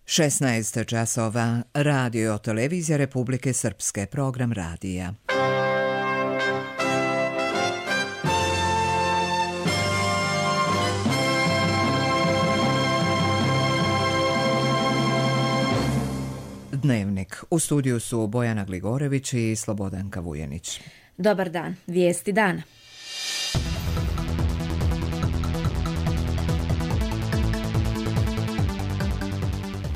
16 časova, radio televizija Republike Srpske, program radija. Dnevnik. U studiju su Bojana Gligorević i Slobodanka Vujenić. Dobar dan. Vijesti dana.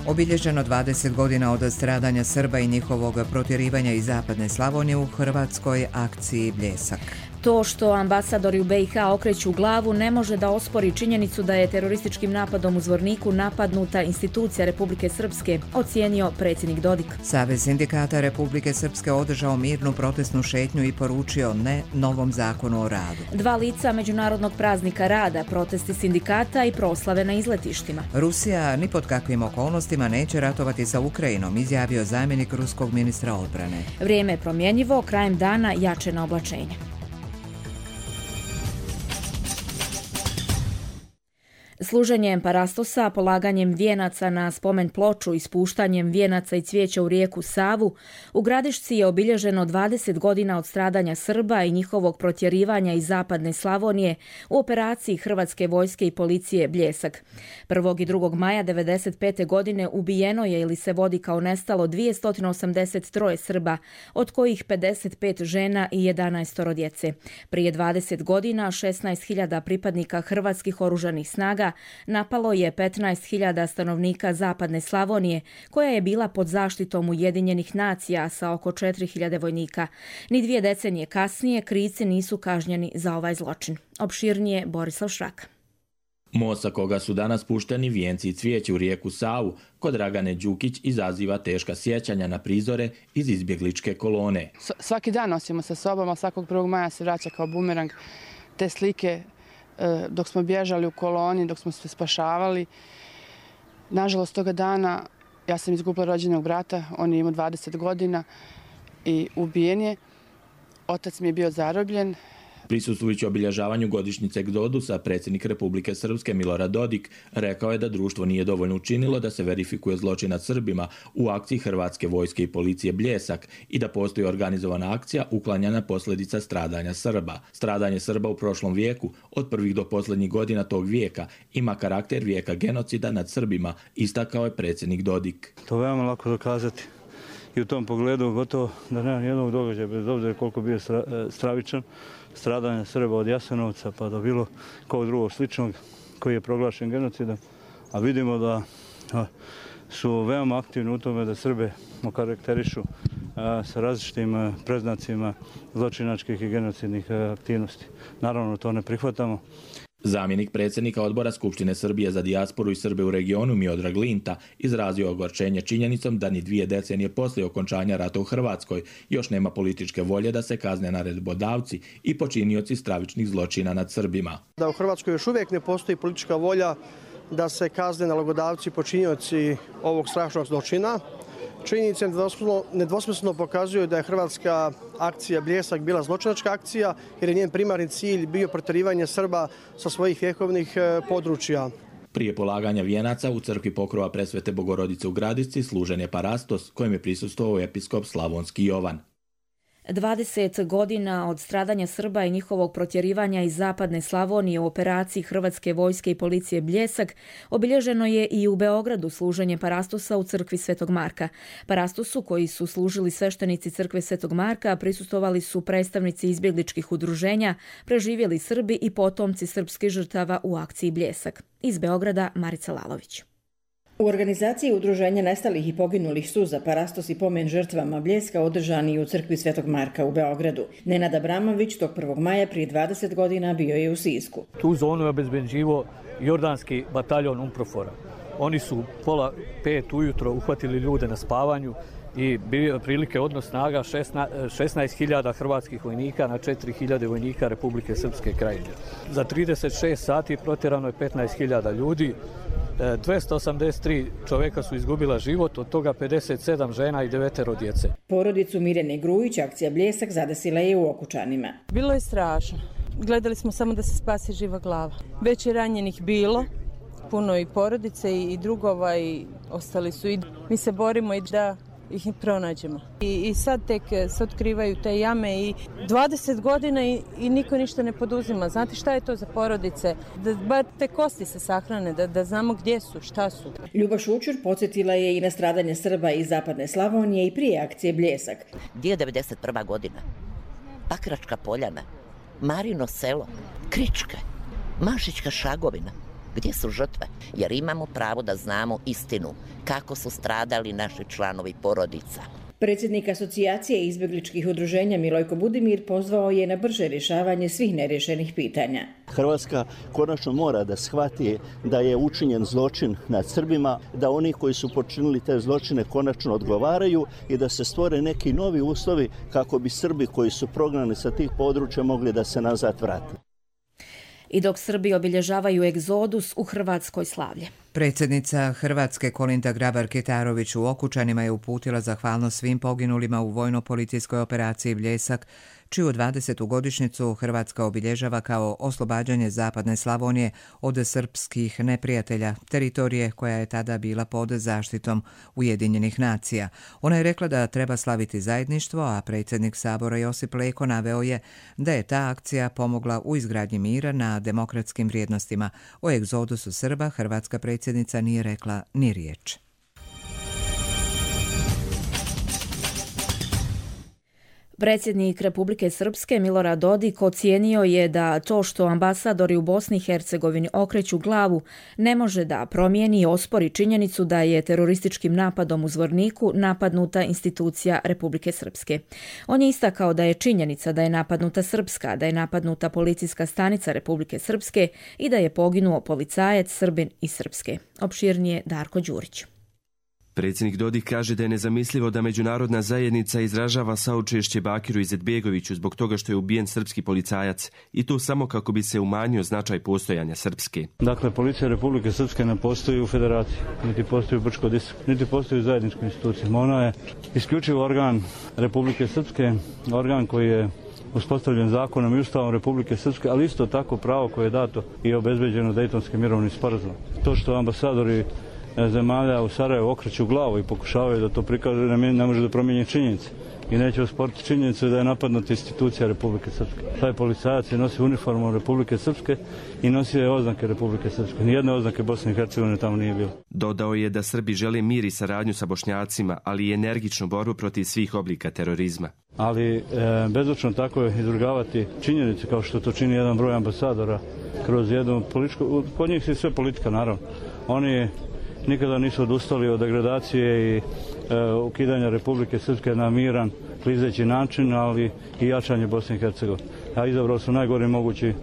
Obilježeno 20 godina od stradanja Srba i njihovog protjerivanja iz zapadne Slavonije u hrvatskoj akciji Bljesak. To što ambasadori u BiH okreću glavu ne može da ospori činjenicu da je terorističkim napadom u Zvorniku napadnuta institucija Republike Srpske, ocijenio predsjednik Dodik. Savez sindikata Republike Srpske održao mirnu protestnu šetnju i poručio ne novom zakonu o radu. 2 lica međunarodnog praznika rada, protesti sindikata i proslave na izletištima. Rusija ni pod kakvim okolnostima neće ratovati sa Ukrajinom, izjavio zamjenik ruskog ministra odbrane. Vrijeme je promjenjivo, krajem dana jačena oblačenja. Služenjem parastosa, polaganjem vijenaca na spomen ploču i spuštanjem vijenaca i cvijeća u rijeku Savu, u Gradišci je obilježeno 20 godina od stradanja Srba i njihovog protjerivanja iz zapadne Slavonije u operaciji Hrvatske vojske i policije Bljesak. 1. i 2. maja 1995. godine ubijeno je ili se vodi kao nestalo 283 Srba, od kojih 55 žena i 11 djece. Prije 20 godina 16.000 pripadnika hrvatskih oružanih snaga napalo je 15.000 stanovnika zapadne Slavonije, koja je bila pod zaštitom Ujedinjenih nacija sa oko 4.000 vojnika. Ni 2 decenije kasnije krivci nisu kažnjeni za ovaj zločin. Opširnije Borislav Šrak. Most sa koga su danas pušteni vijenci i cvijeće u rijeku Savu kod Dragane Đukić izaziva teška sjećanja na prizore iz izbjegličke kolone. Svaki dan nosimo sa sobom, a svakog 1. maja se vraća kao bumerang te slike dok smo bježali u koloni, dok smo se spašavali. Nažalost, toga dana ja sam izgubila rođenog brata, on je imao 20 godina i ubijen je. Otac mi je bio zarobljen. Prisustvujući obilježavanju godišnjice egzodusa, predsjednik Republike Srpske Milorad Dodik rekao je da društvo nije dovoljno učinilo da se verifikuje zločin nad Srbima u akciji Hrvatske vojske i policije Bljesak i da postoji organizovana akcija uklanjanja posljedica stradanja Srba. Stradanje Srba u prošlom vijeku, od prvih do posljednjih godina tog vijeka, ima karakter vijeka genocida nad Srbima, istakao je predsjednik Dodik. To je veoma lako dokazati. I u tom pogledu gotovo da nema nijednog događaja, bez obzira koliko bio stravičan, stradanja Srba od Jasenovca pa do bilo kog drugog sličnog koji je proglašen genocidom. A vidimo da su veoma aktivni u tome da Srbe okarakterišu sa različitim preznacima zločinačkih i genocidnih aktivnosti. Naravno, to ne prihvatamo. Zamjenik predsjednika odbora Skupštine Srbije za dijasporu i Srbe u regionu Miodrag Linta izrazio ogorčenje činjenicom da ni 2 decenije poslije okončanja rata u Hrvatskoj još nema političke volje da se kazne naredbodavci i počinioci stravičnih zločina nad Srbima. Da u Hrvatskoj još uvijek ne postoji politička volja da se kazne nalogodavci i počinioci ovog strašnog zločina. Činjenice nedvosmisleno pokazuju da je hrvatska akcija Bljesak bila zločinačka akcija jer je njen primarni cilj bio protjerivanje Srba sa svojih vjekovnih područja. Prije polaganja vijenaca u crkvi Pokrova Presvete Bogorodice u Gradišci služen je parastos kojem je prisustvovao episkop Slavonski Jovan. 20 godina od stradanja Srba i njihovog protjerivanja iz zapadne Slavonije u operaciji Hrvatske vojske i policije Bljesak obilježeno je i u Beogradu služenje parastosa u crkvi Svetog Marka. Parastosu koji su služili sveštenici crkve Svetog Marka prisustvovali su predstavnici izbjegličkih udruženja, preživjeli Srbi i potomci srpskih žrtava u akciji Bljesak. Iz Beograda Marica Lalović. U organizaciji udruženja nestalih i poginulih su za parastos i pomen žrtvama Bljeska održani u crkvi Svetog Marka u Beogradu. Nenad Abramović tog 1. maja prije 20 godina bio je u Sisku. Tu zonu je obezbeđivao jordanski bataljon UNPROFOR-a. Oni su 4:30 ujutro uhvatili ljude na spavanju i bio prilike odnos snaga 16.000 hrvatskih vojnika na 4.000 vojnika Republike Srpske krajine. Za 36 sati protjerano je 15.000 ljudi. 283 čovjeka su izgubila život, od toga 57 žena i 9 djece. Porodicu Mirjane Grujić akcija Bljesak zadesila je u Okučanima. Bilo je strašno. Gledali smo samo da se spasi živa glava. Već je ranjenih bilo, puno i porodice i drugova i ostali su. I mi se borimo i da ih pronađemo. I sad tek se otkrivaju te jame i 20 godina i niko ništa ne poduzima. Znate šta je to za porodice? Da bar te kosti se sahrane, da znamo gdje su, šta su. Ljuba Šućur podsjetila je i na stradanje Srba iz zapadne Slavonije i prije akcije Bljesak. Gdje je 91. godina? Pakračka poljana, Marino selo, Kričke, Mašićka Šagovina. Gdje su žrtve? Jer imamo pravo da znamo istinu kako su stradali naši članovi porodica. Predsjednik asocijacije izbjegličkih udruženja Milojko Budimir pozvao je na brže rješavanje svih nerješenih pitanja. Hrvatska konačno mora da shvati da je učinjen zločin nad Srbima, da oni koji su počinili te zločine konačno odgovaraju i da se stvore neki novi uslovi kako bi Srbi koji su prognani sa tih područja mogli da se nazad vrate. I dok Srbi obilježavaju egzodus, u Hrvatskoj slavlje. Predsjednica Hrvatske Kolinda Grabar-Kitarović u Okučanima je uputila zahvalnost svim poginulima u vojno-policijskoj operaciji Bljesak, čiju 20. godišnjicu Hrvatska obilježava kao oslobađanje zapadne Slavonije od srpskih neprijatelja, teritorije koja je tada bila pod zaštitom Ujedinjenih nacija. Ona je rekla da treba slaviti zajedništvo, a predsjednik Sabora Josip Leko naveo je da je ta akcija pomogla u izgradnji mira na demokratskim vrijednostima. O egzodusu Srba hrvatska predsjednica nije rekla ni riječ. Predsjednik Republike Srpske Milorad Dodik ocijenio je da to što ambasadori u Bosni i Hercegovini okreću glavu ne može da promijeni i ospori činjenicu da je terorističkim napadom u Zvorniku napadnuta institucija Republike Srpske. On je istakao da je činjenica da je napadnuta Srpska, da je napadnuta policijska stanica Republike Srpske i da je poginuo policajac Srbin iz Srpske. Opširnije Darko Đurić. Predsjednik Dodik kaže da je nezamislivo da međunarodna zajednica izražava saučešće Bakiru Izetbegoviću zbog toga što je ubijen srpski policajac i to samo kako bi se umanjio značaj postojanja Srpske. Dakle, policija Republike Srpske ne postoji u federaciji, niti postoji u Brčko-Distrikt, niti postoji u zajedničkoj instituciji. Ona je isključivo organ Republike Srpske, organ koji je uspostavljen zakonom i ustavom Republike Srpske, ali isto tako pravo koje je dato i obezbeđeno Dejtonskim mirovnim sporazumom. To što ambasadori zemalja u Sarajevu okreću glavu i pokušavaju da to prikažu, ne može da promijeni činjenice. I neće osporiti činjenicu da je napadnuta institucija Republike Srpske. Taj policajac je nosio uniformu Republike Srpske i nosio je oznake Republike Srpske. Nijedne oznake Bosne i Hercegovine tamo nije bilo. Dodao je da Srbi žele mir i saradnju sa Bošnjacima, ali i energičnu borbu protiv svih oblika terorizma. Ali bezočno tako je izvrgavati činjenice kao što to čini jedan broj ambasadora kroz jednu političku, kod njih je sve politika naravno. Oni nikada nisu odustali od degradacije i ukidanja Republike Srpske na miran, klizeći način, ali i jačanje Bosne i Hercegovine. A izabrao su najgori mogući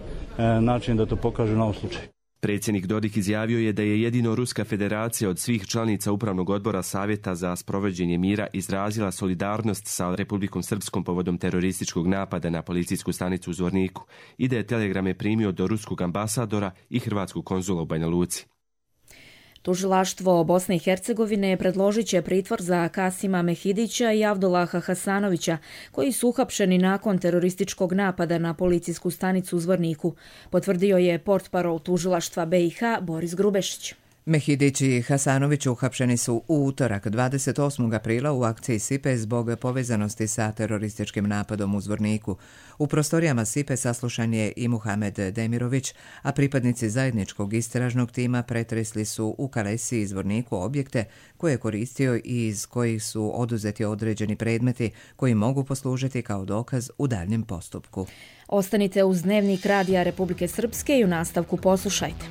način da to pokažu na ovom slučaju. Predsjednik Dodik izjavio je da je jedino Ruska federacija od svih članica Upravnog odbora Savjeta za sprovođenje mira izrazila solidarnost sa Republikom Srpskom povodom terorističkog napada na policijsku stanicu u Zvorniku i da je telegrame primio do ruskog ambasadora i hrvatskog konzula u Banja Luci. Tužilaštvo Bosne i Hercegovine predložit će pritvor za Kasima Mehidića i Avdulaha Hasanovića, koji su uhapšeni nakon terorističkog napada na policijsku stanicu u Zvorniku, potvrdio je portparol tužilaštva BiH Boris Grubešić. Mehidić i Hasanović uhapšeni su u utorak 28. aprila u akciji SIPE zbog povezanosti sa terorističkim napadom u Zvorniku. U prostorijama SIPE saslušan je i Muhamed Demirović, a pripadnici zajedničkog istražnog tima pretresli su u Kalesi i Zvorniku objekte koje je koristio i iz kojih su oduzeti određeni predmeti koji mogu poslužiti kao dokaz u daljnjem postupku. Ostanite uz Dnevnik Radija Republike Srpske i u nastavku poslušajte.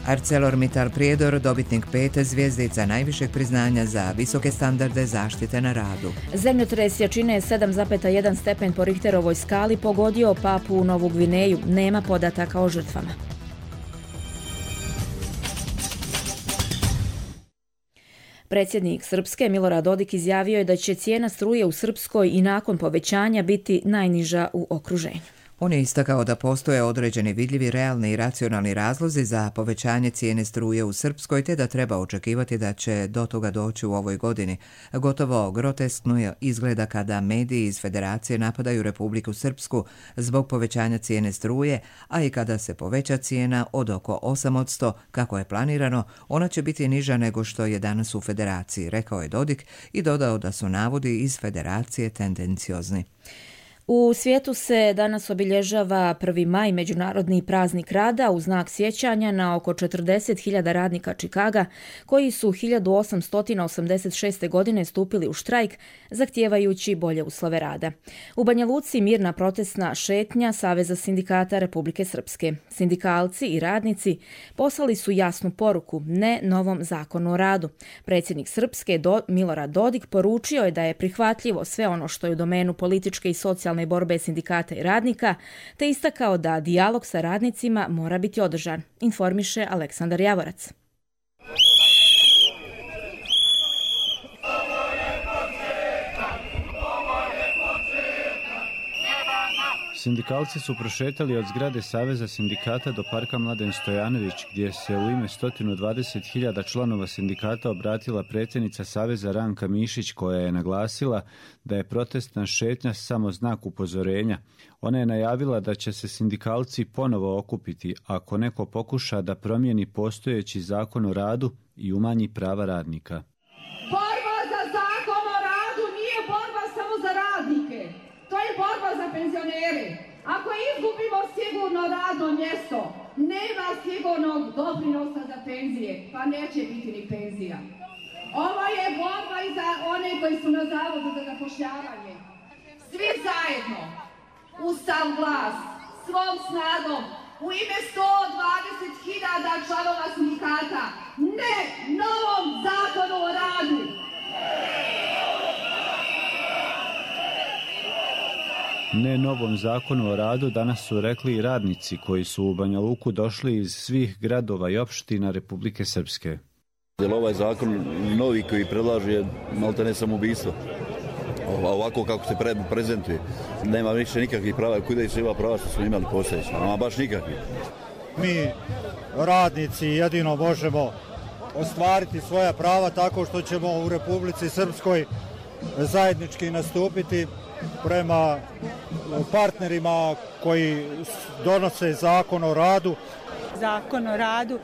ArcelorMittal Prijedor, dobitnik 5 zvjezdica najvišeg priznanja za visoke standarde zaštite na radu. Zemljotres jačine 7,1 stepen po Richterovoj skali pogodio Papu Novu Gvineju. Nema podataka o žrtvama. Predsjednik Srpske Milorad Dodik izjavio je da će cijena struje u Srpskoj i nakon povećanja biti najniža u okruženju. On je istakao da postoje određeni vidljivi, realni i racionalni razlozi za povećanje cijene struje u Srpskoj, te da treba očekivati da će do toga doći u ovoj godini. Gotovo groteskno izgleda kada mediji iz Federacije napadaju Republiku Srpsku zbog povećanja cijene struje, a i kada se poveća cijena od oko 8%, kako je planirano, ona će biti niža nego što je danas u Federaciji, rekao je Dodik i dodao da su navodi iz Federacije tendenciozni. U svijetu se danas obilježava 1. maj, međunarodni praznik rada, u znak sjećanja na oko 40.000 radnika Čikaga koji su 1886. godine stupili u štrajk zahtijevajući bolje uslove rada. U Banja Luci mirna protestna šetnja Saveza sindikata Republike Srpske. Sindikalci i radnici poslali su jasnu poruku: ne novom zakonu o radu. Predsjednik Srpske Milorad Dodik poručio je da je prihvatljivo sve ono što je u domenu političke i socijalne borbe sindikata i radnika, te istakao da dijalog sa radnicima mora biti održan, informiše Aleksandar Javorac. Sindikalci su prošetali od zgrade Saveza sindikata do parka Mladen Stojanović, gdje se u ime 120.000 članova sindikata obratila predsjednica Saveza Ranka Mišić, koja je naglasila da je protestna šetnja samo znak upozorenja. Ona je najavila da će se sindikalci ponovo okupiti ako neko pokuša da promijeni postojeći zakon o radu i umanji prava radnika. Borba za zakon o radu nije borba samo za radnike. To je borba za penzionere. Ako izgubimo sigurno radno mjesto, nema sigurnog doprinosa za penzije, pa neće biti ni penzija. Ovo je borba i za one koji su na zavodu za zapošljavanje. Svi zajedno, u sav glas, svom snagom, u ime 120.000 članova sindikata, ne novom zakonu o radu. Ne novom zakonu o radu danas su rekli i radnici koji su u Banja Luku došli iz svih gradova i opština Republike Srpske. Ovaj zakon novi koji predlaže je maltene samoubistvo. Ovako kako se prezentuje, nema više nikakvih prava. Kuda se ima prava što smo imali postojeći? Ama baš nikakvih. Mi, radnici, jedino možemo ostvariti svoja prava tako što ćemo u Republici Srpskoj zajednički nastupiti prema partnerima koji donose zakon o radu. Zakon o radu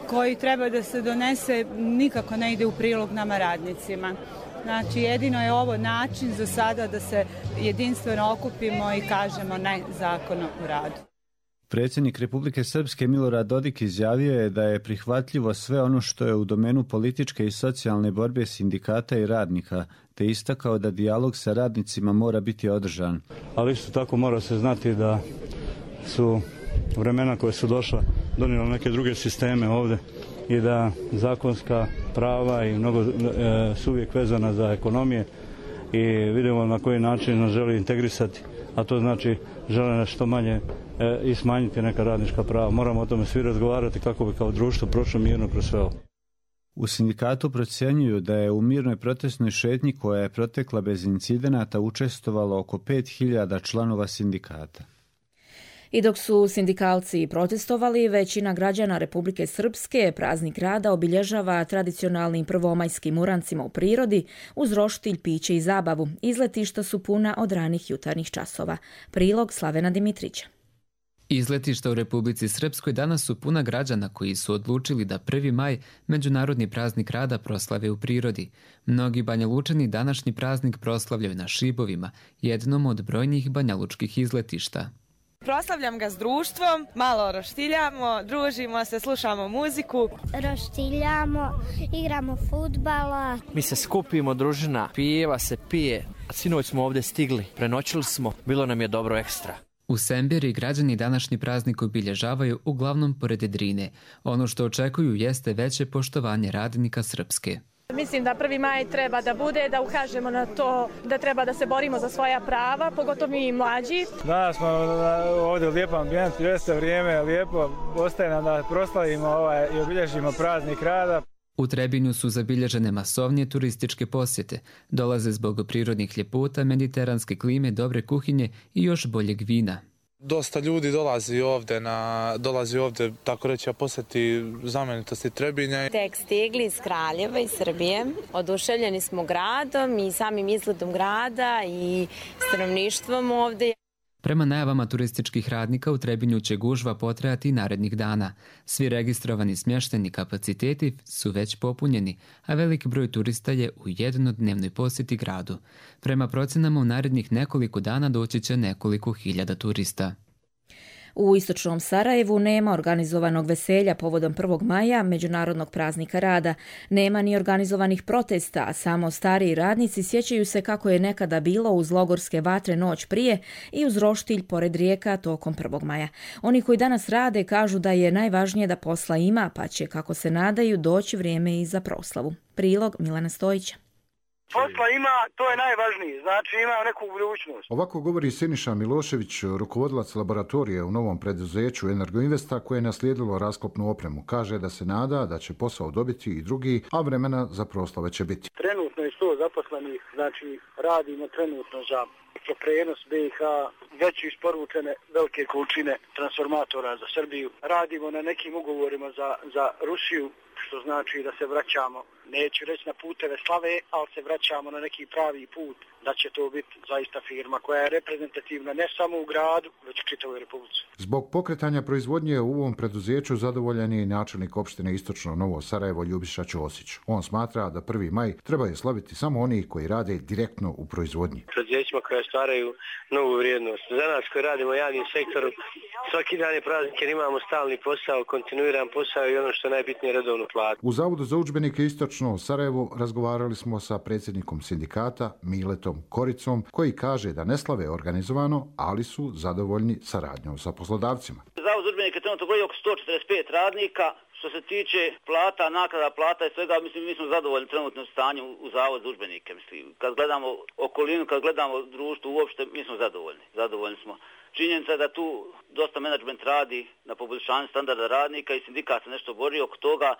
koji treba da se donese nikako ne ide u prilog nama radnicima. Znači, jedino je ovo način za sada da se jedinstveno okupimo i kažemo ne zakonu o radu. Predsjednik Republike Srpske Milorad Dodik izjavio je da je prihvatljivo sve ono što je u domenu političke i socijalne borbe sindikata i radnika, te istakao da dijalog sa radnicima mora biti održan. Ali isto tako mora se znati da su vremena koje su došla donijela neke druge sisteme ovdje i da zakonska prava i mnogo su uvijek vezana za ekonomije i vidimo na koji način nas želi integrisati, a to znači žele nas što manje i smanjiti neka radnička prava. Moramo o tome svi razgovarati kako bi kao društvo prošlo mirno kroz sve ovo. U sindikatu procjenjuju da je u mirnoj protestnoj šetnji koja je protekla bez incidenata učestvovalo oko 5.000 članova sindikata. I dok su sindikalci protestovali, većina građana Republike Srpske praznik rada obilježava tradicionalnim prvomajskim urancima u prirodi uz roštilj, piće i zabavu. Izletišta su puna od ranih jutarnjih časova. Prilog Slavena Dimitrića. Izletišta u Republici Srpskoj danas su puna građana koji su odlučili da 1. maj, međunarodni praznik rada, proslave u prirodi. Mnogi Banjalučani današnji praznik proslavljaju na Šibovima, jednom od brojnih banjalučkih izletišta. Proslavljam ga s društvom, malo roštiljamo, družimo se, slušamo muziku. Roštiljamo, igramo fudbala. Mi se skupimo, družina, pijeva se, pije. Sinoć smo ovdje stigli, prenoćili smo, bilo nam je dobro ekstra. U Sembiri građani današnji praznik obilježavaju uglavnom pored Drine. Ono što očekuju jeste veće poštovanje radnika Srpske. Mislim da 1. maj treba da bude, da ukažemo na to da treba da se borimo za svoja prava, pogotovo mi mlađi. Danas smo ovdje u lijepom ambijentu, jeste vrijeme lijepo, ostaje nam da proslavimo i obilježimo praznik rada. U Trebinju su zabilježene masovnije turističke posjete. Dolaze zbog prirodnih ljepota, mediteranske klime, dobre kuhinje i još boljeg vina. Dosta ljudi dolazi ovdje tako reći, posjeti znamenitosti Trebinja. Tek stigli iz Kraljeva, iz Srbije. Oduševljeni smo gradom i samim izgledom grada i stanovništvom ovdje. Prema najavama turističkih radnika u Trebinju će gužva potrajati i narednih dana. Svi registrovani smještajni kapaciteti su već popunjeni, a veliki broj turista je u jednodnevnoj posjeti gradu. Prema procenama u narednih nekoliko dana doći će nekoliko hiljada turista. U istočnom Sarajevu nema organizovanog veselja povodom 1. maja, međunarodnog praznika rada. Nema ni organizovanih protesta, a samo stariji radnici sjećaju se kako je nekada bilo uz logorske vatre noć prije i uz roštilj pored rijeka tokom 1. maja. Oni koji danas rade kažu da je najvažnije da posla ima, pa će, kako se nadaju, doći vrijeme i za proslavu. Prilog Milana Stojića. Posla ima, to je najvažnije, znači ima neku budućnost. Ovako govori Siniša Milošević, rukovodilac laboratorije u novom preduzeću Energoinvesta koje je naslijedilo rasklopnu opremu. Kaže da se nada da će posao dobiti i drugi, a vremena za proslave će biti. Trenutno je 100 zaposlenih, znači radimo trenutno za prenos BiH, već isporučene velike količine transformatora za Srbiju. Radimo na nekim ugovorima za Rusiju, što znači da se vraćamo, neću reći na puteve slave, ali se vraćamo na neki pravi put, da će to biti zaista firma koja je reprezentativna ne samo u gradu, već u čitavoj Republici. Zbog pokretanja proizvodnje u ovom preduzeću zadovoljan je i načelnik opštine Istočno Novo Sarajevo Ljubiša Ćosić. On smatra da 1. maj trebaju slaviti samo oni koji rade direktno u proizvodnji. Preduzećima koja stvaraju novu vrijednost. Za nas koji radimo u javnim sektoru, svaki dan je praznik jer imamo stalni posao, kontinuiran posao i ono što je najbitnije, redovnu platu. U Zavodu za udžbenike Istočno Sarajevo razgovarali smo sa predsjednikom sindikata Miletom Koricom, koji kaže da ne slave organizovano, ali su zadovoljni saradnjom sa poslodavcima. Zavod za udžbenike trenutno broji oko 145 radnika. Što se tiče plata, naknada plata i svega, mislim, mi smo zadovoljni trenutno stanju u Zavodu za udžbenike. Mislim, kad gledamo okolinu, kad gledamo društvo uopšte, mi smo zadovoljni. Zadovoljni smo. Činjenica je da tu dosta menadžment radi na poboljšanju standarda radnika i sindikat se nešto bori oko toga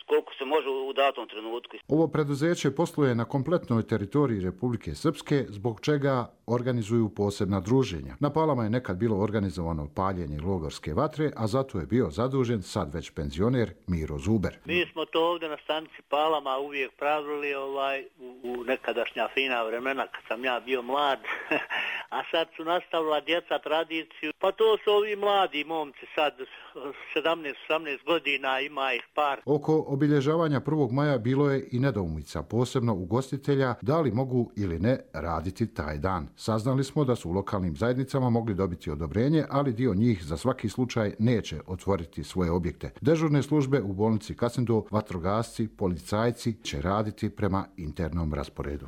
koliko se može u datom trenutku. Ovo preduzeće posluje na kompletnoj teritoriji Republike Srpske, zbog čega organizuju posebna druženja. Na Palama je nekad bilo organizovano paljenje logorske vatre, a zato je bio zadužen sad već penzioner Miro Zuber. Mi smo to ovdje na stanici Palama uvijek pravili u nekadašnja fina vremena kad sam ja bio mlad, a sad su nastavila djeca tradiciju. Pa to su ovi mladi momci sad, 17-18 godina, ima ih par. Oko obilježavanja 1. maja bilo je i nedoumica, posebno ugostitelja, da li mogu ili ne raditi taj dan. Saznali smo da su u lokalnim zajednicama mogli dobiti odobrenje, ali dio njih za svaki slučaj neće otvoriti svoje objekte. Dežurne službe u bolnici Kasindov, vatrogasci, policajci će raditi prema internom rasporedu.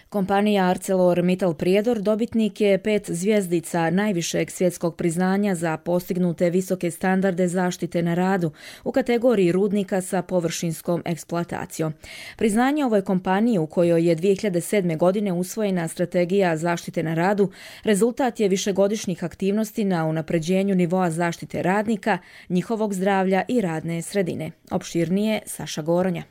Kompanija ArcelorMittal Prijedor dobitnik je 5 zvjezdica najvišeg svjetskog priznanja za postignute visoke standarde zaštite na radu u kategoriji rudnika sa površinskom eksploatacijom. Priznanje ovoj kompaniji, u kojoj je 2007. godine usvojena strategija zaštite na radu, rezultat je višegodišnjih aktivnosti na unapređenju nivoa zaštite radnika, njihovog zdravlja i radne sredine. Opširnije Saša Goronja.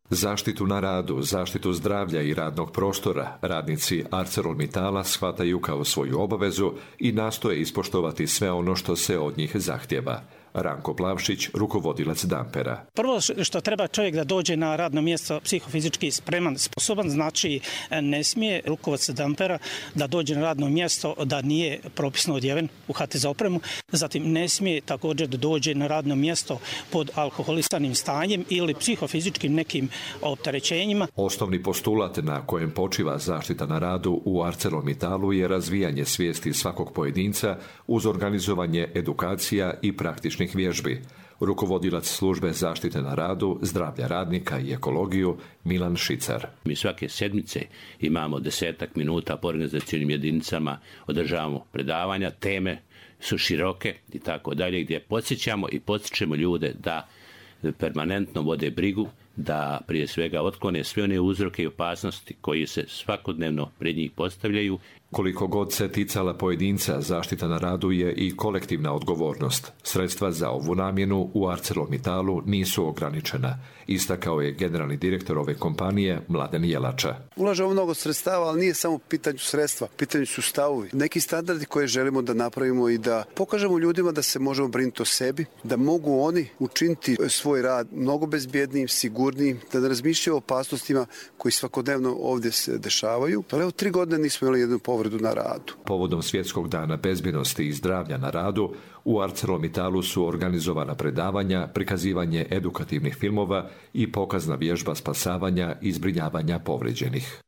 Zaštitu na radu, zaštitu zdravlja i radnog prostora radnici ArcelorMittala shvataju kao svoju obavezu i nastoje ispoštovati sve ono što se od njih zahtjeva. Ranko Plavšić, rukovodilac Dampera. Prvo što treba čovjek da dođe na radno mjesto psihofizički spreman, sposoban, znači ne smije rukovodac Dampera da dođe na radno mjesto da nije propisno odjeven u HTZ opremu, zatim ne smije također da dođe na radno mjesto pod alkoholisanim stanjem ili psihofizičkim nekim opterećenjima. Osnovni postulat na kojem počiva zaštita na radu u ArcelorMittalu je razvijanje svijesti svakog pojedinca uz organizovanje edukacija i praktičnih vježbi. Rukovodilac službe zaštite na radu, zdravlja radnika i ekologiju Milan Šicar. Mi svake sedmice imamo 10 minuta po organizacijnim jedinicama, održavamo predavanja, teme su široke i tako dalje, gdje podsjećamo i podsjećamo ljude da permanentno vode brigu, da prije svega otklone sve one uzroke i opasnosti koji se svakodnevno pred njih postavljaju. Koliko god se ticala pojedinca, zaštita na radu je i kolektivna odgovornost. Sredstva za ovu namjenu u ArcelorMittalu nisu ograničena, istakao je generalni direktor ove kompanije Mladen Jelača. Ulažemo mnogo sredstava, ali nije samo pitanju sredstva, pitanju su stavovi. Neki standardi koje želimo da napravimo i da pokažemo ljudima da se možemo brinuti o sebi, da mogu oni učiniti svoj rad mnogo bezbjednijim, sigurnijim, da ne razmišljaju o opasnostima koji svakodnevno ovdje se dešavaju. Ali evo 3 godine nismo imali jednu povredu na radu. Povodom Svjetskog dana bezbjednosti i zdravlja na radu, u ArcelorMittalu su organizovana predavanja, prikazivanje edukativnih filmova i pokazna vježba spasavanja i zbrinjavanja povrijeđenih.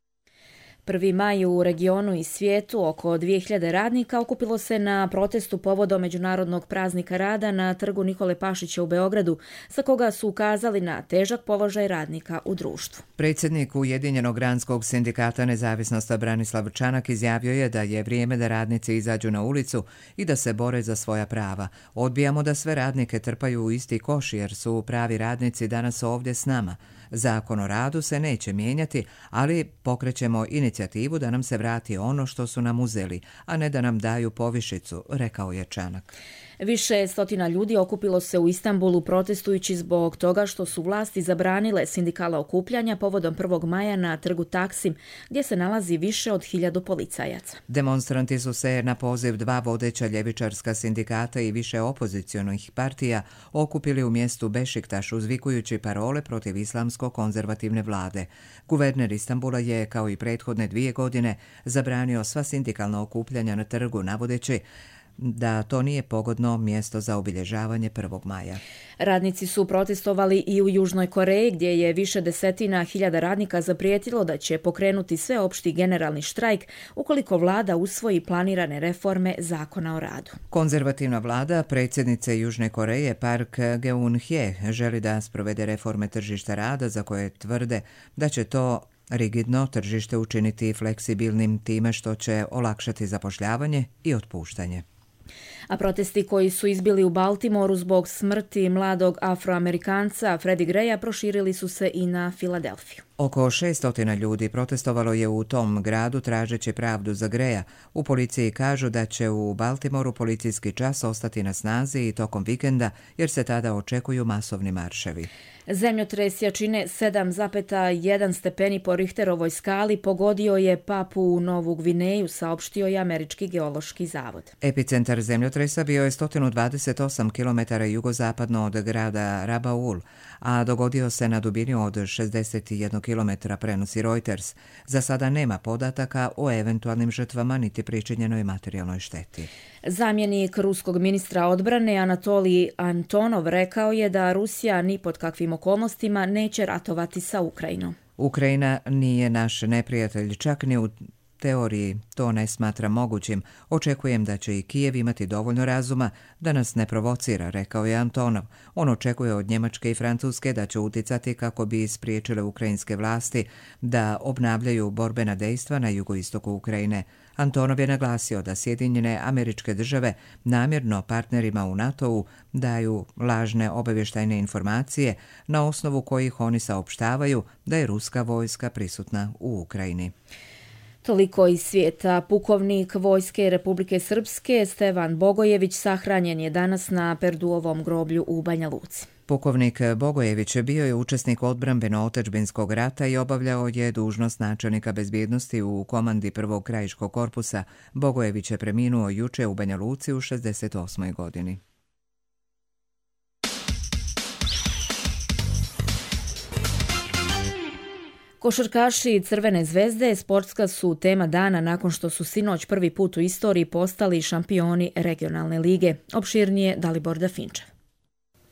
1. maj u regionu i svijetu oko 2000 radnika okupilo se na protestu povodom Međunarodnog praznika rada na trgu Nikole Pašića u Beogradu, sa koga su ukazali na težak položaj radnika u društvu. Predsjednik Ujedinjenog granskog sindikata Nezavisnost Branislav Čanak izjavio je da je vrijeme da radnici izađu na ulicu i da se bore za svoja prava. Odbijamo da sve radnike trpaju u isti koš jer su pravi radnici danas ovdje s nama. Zakon o radu se neće mijenjati, ali pokrećemo inicijativu da nam se vrati ono što su nam uzeli, a ne da nam daju povišicu, rekao je Čanak. Više stotina ljudi okupilo se u Istanbulu protestujući zbog toga što su vlasti zabranile sindikalna okupljanja povodom 1. maja na trgu Taksim, gdje se nalazi više od 1000 policajaca. Demonstranti su se na poziv 2 vodeća ljevičarska sindikata i više opozicionih partija okupili u mjestu Bešiktaš uzvikujući parole protiv islamsko-konzervativne vlade. Guverner Istanbula je, kao i prethodne 2 godine, zabranio sva sindikalna okupljanja na trgu, navodeći da to nije pogodno mjesto za obilježavanje 1. maja. Radnici su protestovali i u Južnoj Koreji, gdje je više desetina hiljada radnika zaprijetilo da će pokrenuti sveopšti generalni štrajk ukoliko vlada usvoji planirane reforme zakona o radu. Konzervativna vlada predsjednice Južne Koreje Park Geun-hye želi da sprovede reforme tržišta rada za koje tvrde da će to rigidno tržište učiniti fleksibilnim time što će olakšati zapošljavanje i otpuštanje. A protesti koji su izbili u Baltimoru zbog smrti mladog Afroamerikanca Freddie Graya proširili su se i na Filadelfiju. Oko 600 ljudi protestovalo je u tom gradu tražeći pravdu za Graya. U policiji kažu da će u Baltimoru policijski čas ostati na snazi i tokom vikenda jer se tada očekuju masovni marševi. Zemljotres jačine 7,1 stepeni po Richterovoj skali pogodio je Papu Novu Gvineju, saopštio je Američki geološki zavod. Epicentar zemljotresa bio je 128 km jugozapadno od grada Rabaul, a dogodio se na dubini od 61 km, prenosi Reuters. Za sada nema podataka o eventualnim žrtvama niti pričinjenoj materijalnoj šteti. Zamjenik ruskog ministra odbrane Anatolij Antonov rekao je da Rusija ni pod kakvim okolnostima neće ratovati sa Ukrajinom. Ukrajina nije naš neprijatelj, čak ni u teoriji to ne smatra mogućim. Očekujem da će i Kijev imati dovoljno razuma da nas ne provocira, rekao je Antonov. On očekuje od Njemačke i Francuske da će uticati kako bi spriječile ukrajinske vlasti da obnavljaju borbena dejstva na jugoistoku Ukrajine. Antonov je naglasio da Sjedinjene Američke Države namjerno partnerima u NATO-u daju lažne obavještajne informacije na osnovu kojih oni saopštavaju da je ruska vojska prisutna u Ukrajini. Toliko iz svijeta. Pukovnik Vojske Republike Srpske Stevan Bogojević sahranjen je danas na Perduovom groblju u Banja Luci. Pukovnik Bogojević bio je učesnik odbrambeno-otadžbinskog rata i obavljao je dužnost načelnika bezbjednosti u komandi 1. krajiškog korpusa. Bogojević je preminuo juče u Banja Luci u 68. godini. Košarkaši Crvene zvezde sportska su tema dana nakon što su sinoć prvi put u istoriji postali šampioni regionalne lige. Opširnije Dalibor Dafinčev.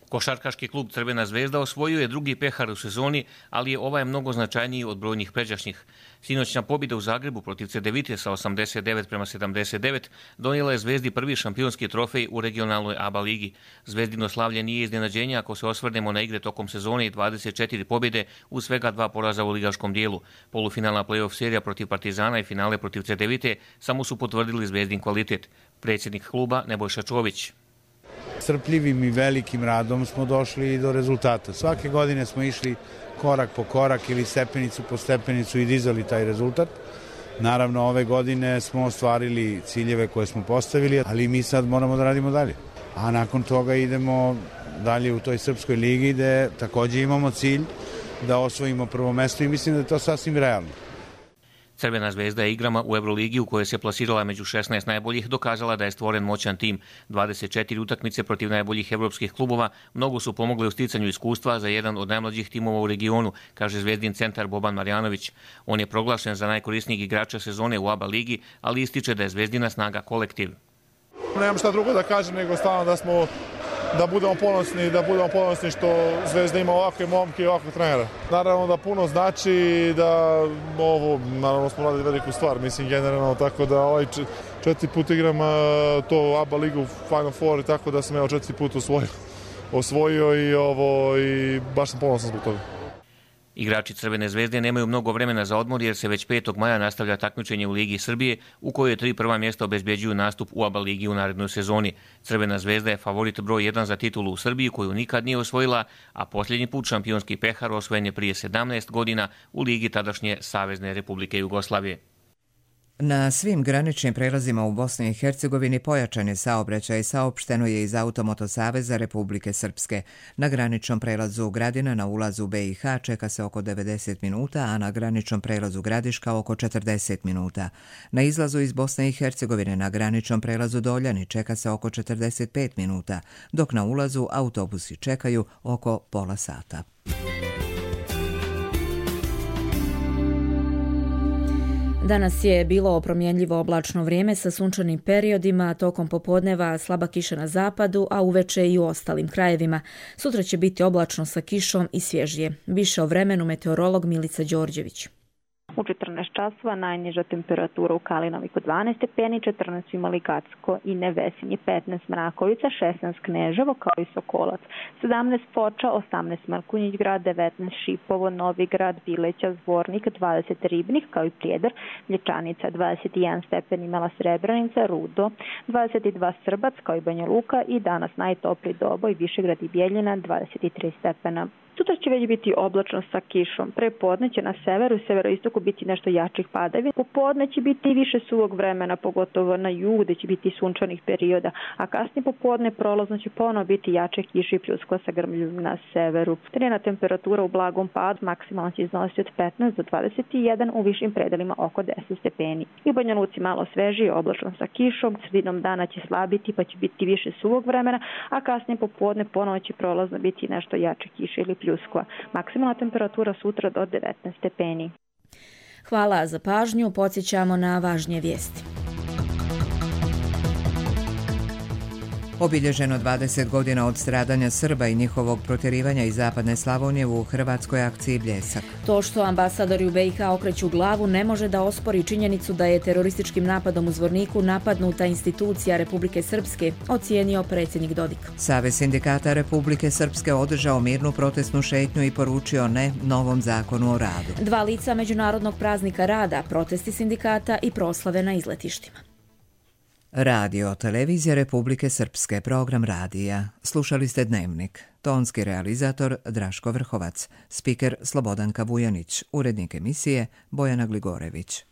Košarkaški klub Crvena zvezda osvojio je drugi pehar u sezoni, ali je ovaj mnogo značajniji od brojnih pređašnjih. Sinoćna pobjeda u Zagrebu protiv Cedevite sa 89-79 donijela je Zvezdi prvi šampionski trofej u regionalnoj ABA ligi. Zvezdino slavlje nije iznenađenje ako se osvrnemo na igre tokom sezone i 24 pobjede u svega 2 poraza u ligaškom dijelu. Polufinalna play-off serija protiv Partizana i finale protiv Cedevite samo su potvrdili Zvezdin kvalitet. Predsjednik kluba Nebojša Čović. Strpljivim i velikim radom smo došli do rezultata. Svake godine smo išli korak po korak ili stepenicu po stepenicu i dizali taj rezultat. Naravno, ove godine smo ostvarili ciljeve koje smo postavili, ali mi sad moramo da radimo dalje. A nakon toga idemo dalje u toj Srpskoj ligi gde takođe imamo cilj da osvojimo prvo mesto i mislim da je to sasvim realno. Crvena zvezda je igrama u Euroligi u kojoj se plasirala među 16 najboljih dokazala da je stvoren moćan tim. 24 utakmice protiv najboljih evropskih klubova mnogo su pomogle u sticanju iskustva za jedan od najmlađih timova u regionu, kaže zvezdin centar Boban Marjanović. On je proglašen za najkorisnijeg igrača sezone u ABA ligi, ali ističe da je zvezdina snaga kolektiv. Nemam šta drugo da kažem nego stvarno da budemo ponosni što Zvezda ima ovakve momke i ovakve trenera. Naravno da puno znači da naravno smo radili veliku stvar, mislim generalno, tako da 4 put igram to ABA ligu Final Four, tako da sam 4 put osvojio i baš sam ponosan zbog toga. Igrači Crvene zvezde nemaju mnogo vremena za odmor jer se već 5. maja nastavlja takmičenje u Ligi Srbije u kojoj 3 prva mjesta obezbeđuju nastup u ABA ligi u narednoj sezoni. Crvena zvezda je favorit broj 1 za titulu u Srbiji koju nikad nije osvojila, a posljednji put šampionski pehar osvojen je prije 17 godina u ligi tadašnje Savezne Republike Jugoslavije. Na svim graničnim prelazima u Bosni i Hercegovini pojačan je saobraćaj, saopšteno je iz Automoto saveza Republike Srpske. Na graničnom prelazu Gradina na ulazu BiH čeka se oko 90 minuta, a na graničnom prelazu Gradiška oko 40 minuta. Na izlazu iz Bosne i Hercegovine na graničnom prelazu Doljani čeka se oko 45 minuta, dok na ulazu autobusi čekaju oko pola sata. Danas je bilo promjenljivo oblačno vrijeme sa sunčanim periodima, tokom popodneva slaba kiša na zapadu, a uveče i u ostalim krajevima. Sutra će biti oblačno sa kišom i svježije. Više o vremenu meteorolog Milica Đorđević. U 14 časova najniža temperatura u Kalinoviku 12 stepeni, 14 imali Gacko i Nevesinje, 15 Mrakovica, 16 Kneževo kao i Sokolac, 17 Foča, 18 Markunjić grad, 19 Šipovo, Novi grad, Bileća, Zvornik, 20 Ribnik kao i Prijedor, Mlječanica, 21 stepen imala Srebrenica, Rudo, 22 Srbac kao i Banja Luka i danas najtopliji Doboj, Višegrad i Bijeljina, 23 stepena. Sutra će već biti oblačno sa kišom. Prepodne će na severu i severoistoku biti nešto jačih padavina. Popodne će biti i više suvog vremena, pogotovo na jugu gdje će biti sunčanih perioda, a kasnije popodne prolazno će ponovo biti jače kiše i pljuskova sa grmljom na severu. Trenutna temperatura u blagom padu maksimalno će iznositi od 15 do 21, u višim predelima oko 10 stepeni. I u Banja Luci malo svežije, oblačno sa kišom, sredinom dana će slabiti pa će biti više suvog vremena, a kasnije popodne ponovo će prolazno biti nešto jače kiše ili pljuskova. Maksimalna temperatura sutra do 19 stepeni. Hvala za pažnju, podsjećamo na važnije vijesti. Obilježeno 20 godina od stradanja Srba i njihovog protjerivanja iz zapadne Slavonije u hrvatskoj akciji Bljesak. To što ambasadori u BiH okreću glavu ne može da ospori činjenicu da je terorističkim napadom u Zvorniku napadnuta institucija Republike Srpske, ocijenio predsjednik Dodik. Savez sindikata Republike Srpske održao mirnu protestnu šetnju i poručio ne novom zakonu o radu. 2 lica Međunarodnog praznika rada, protesti sindikata i proslave na izletištima. Radio, televizija Republike Srpske, program radija. Slušali ste Dnevnik. Tonski realizator Draško Vrhovac, spiker Slobodanka Vujanić, urednik emisije Bojana Gligorević.